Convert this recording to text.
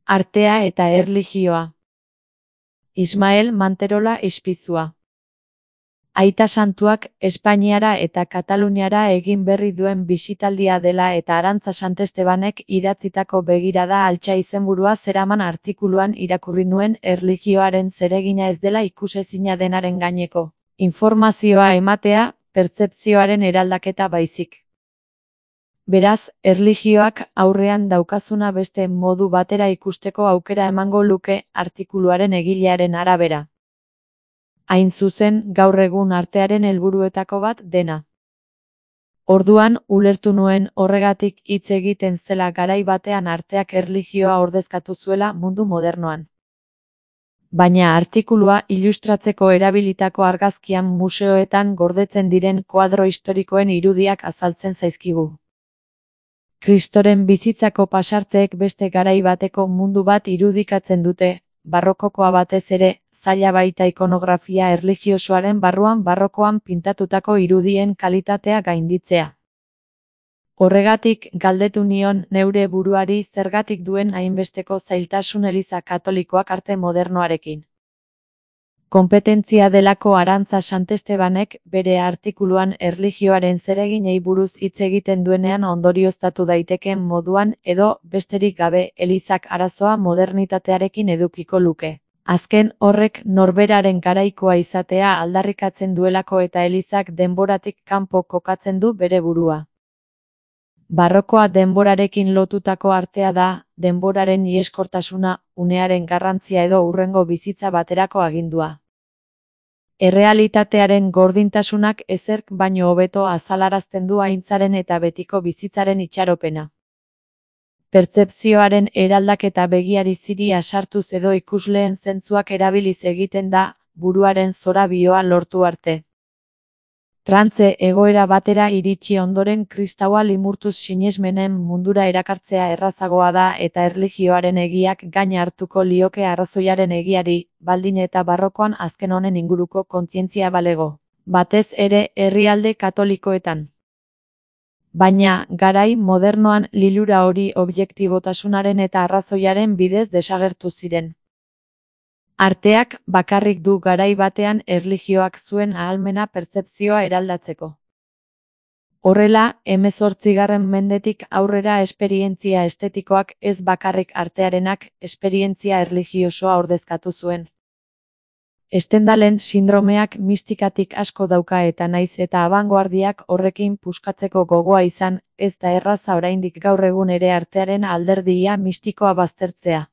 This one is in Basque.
Artea eta erlijioa. Ismael Manterola Ispizua. Aita Santuak Espainiara eta Kataluniara egin berri duen bisitaldia dela eta Arantza Santestebanek idatzitako begirada altxa izenburua zeraman artikuluan irakurri nuen erlijioaren zeregina ez dela ikusezina denaren gaineko informazioa ematea, pertzepzioaren eraldaketa baizik. Beraz, erlijioak aurrean daukazuna beste modu batera ikusteko aukera emango luke artikuluaren egilearen arabera. Hain zuzen, gaur egun artearen helburuetako bat dena. Orduan, ulertu nuen horregatik hitz egiten zela garai batean arteak erlijioa ordezkatu zuela mundu modernoan. Baina artikulua ilustratzeko erabilitako argazkian museoetan gordetzen diren koadro historikoen irudiak azaltzen zaizkigu. Kristoren bizitzako pasarteek beste garai bateko mundu bat irudikatzen dute, barrokokoa batez ere, zaila baita ikonografia erlijiosoaren barruan barrokoan pintatutako irudien kalitatea gainditzea. Horregatik, galdetu nion neure buruari zergatik duen hainbesteko zailtasun Eliza Katolikoak arte modernoarekin. Konpetentzia delako Arantza Santestebanek bere artikuluan erlijioaren zereginei buruz hitz egiten duenean ondorioztatu daitekeen moduan edo besterik gabe Elizak arazoa modernitatearekin edukiko luke. Azken horrek norberaren garaikoa izatea aldarrikatzen duelako eta Elizak denboratik kanpo kokatzen du bere burua. Barrokoa denborarekin lotutako artea da, denboraren iheskortasuna, unearen garrantzia edo hurrengo bizitza baterako agindua. Errealitatearen gordintasunak ezerk baino hobeto azalarazten du aintzaren eta betiko bizitzaren itxaropena. Pertzepzioaren eraldaketa begiari ziria sartuz edo ikusleen zentzuak erabiliz egiten da, buruaren zorabioa lortu arte. Trantze egoera batera iritsi ondoren kristaua limurtuz sinesmenen mundura erakartzea errazagoa da eta erlijioaren egiak gain hartuko lioke arrazoiaren egiari, baldin eta barrokoan azken honen inguruko kontzientzia balego, batez ere herrialde katolikoetan. Baina, garai modernoan lilura hori objektibotasunaren eta arrazoiaren bidez desagertu ziren. Arteak bakarrik du garai batean erlijioak zuen ahalmena pertzepzioa eraldatzeko. Horrela, 18. mendetik aurrera esperientzia estetikoak ez bakarrik artearenak esperientzia erlijiosoa ordezkatu zuen. Stendhalen sindromeak mistikatik asko dauka eta naiz eta abangoardiak horrekin puskatzeko gogoa izan, ez da erraza oraindik gaur egun ere artearen alderdia mistikoa baztertzea.